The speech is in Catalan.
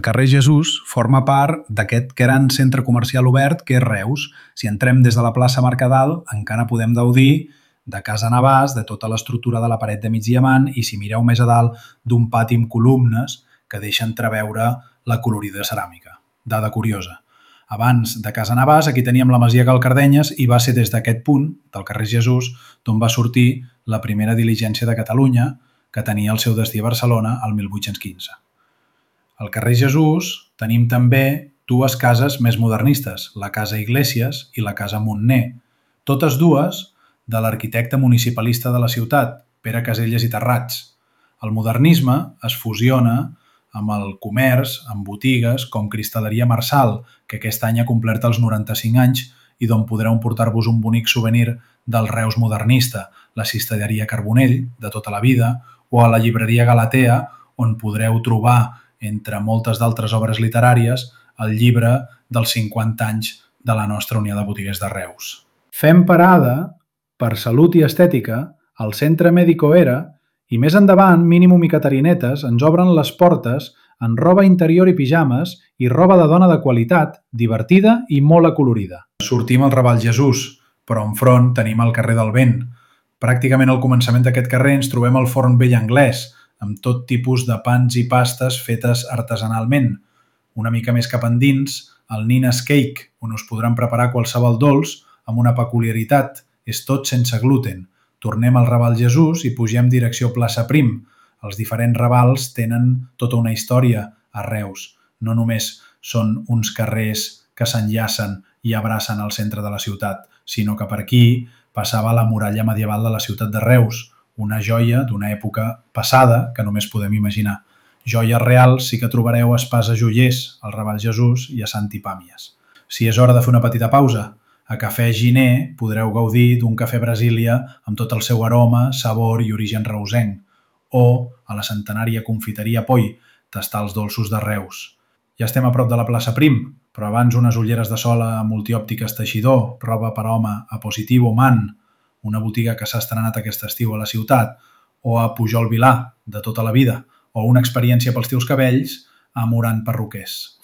El carrer Jesús forma part d'aquest gran centre comercial obert que és Reus. Si entrem des de la plaça Mercadal, encara podem gaudir de Casa Navàs, de tota l'estructura de la paret de migdiamant i, si mireu més a dalt, d'un pati amb columnes que deixen entreveure la colorida ceràmica. Dada curiosa. Abans de Casa Navàs, aquí teníem la masia Galcardenyes i va ser des d'aquest punt, del carrer Jesús, d'on va sortir la primera diligència de Catalunya, que tenia el seu destí a Barcelona el 1815. Al carrer Jesús tenim també dues cases més modernistes, la Casa Iglesias i la Casa Montner, totes dues de l'arquitecte municipalista de la ciutat, Pere Caselles i Terrats. El modernisme es fusiona amb el comerç, amb botigues com Cristal·leria Marsal, que aquest any ha complert els 95 anys i d'on podreu emportar-vos un bonic souvenir del Reus modernista, la cistelleria Carbonell, de tota la vida, o a la llibreria Galatea, on podreu trobar, entre moltes d'altres obres literàries, el llibre dels 50 anys de la nostra Unió de Botiguers de Reus. Fem parada, per salut i estètica, al Centre Médico Era i més endavant, Mínimum i Catarinetes ens obren les portes en roba interior i pijames i roba de dona de qualitat, divertida i molt acolorida. Sortim al Raval Jesús, però enfront tenim el carrer del Vent. Pràcticament al començament d'aquest carrer ens trobem el Forn Vell Anglès, amb tot tipus de pans i pastes fetes artesanalment. Una mica més cap endins, el Nina's Cake, on us podran preparar qualsevol dolç amb una peculiaritat, és tot sense gluten. Tornem al Raval Jesús i pugem direcció Plaça Prim. Els diferents ravals tenen tota una història a Reus. No només són uns carrers que s'enllacen i abracen al centre de la ciutat, sinó que per aquí passava la muralla medieval de la ciutat de Reus, una joia d'una època passada que només podem imaginar. Joies reals sí que trobareu a Espasa Joiers, al Raval Jesús i a Sant Hipàmies. Si és hora de fer una petita pausa, a Cafè Giner podreu gaudir d'un cafè Brasília amb tot el seu aroma, sabor i origen reusenc, o a la centenària confiteria Poi, tastar els dolços de Reus. Ja estem a prop de la plaça Prim, però abans unes ulleres de sol a Multiòptiques Teixidor, roba per home a Positivo Man, una botiga que s'ha estrenat aquest estiu a la ciutat, o a Pujol Vilà, de tota la vida, o una experiència pels teus cabells a Morant Perruquers.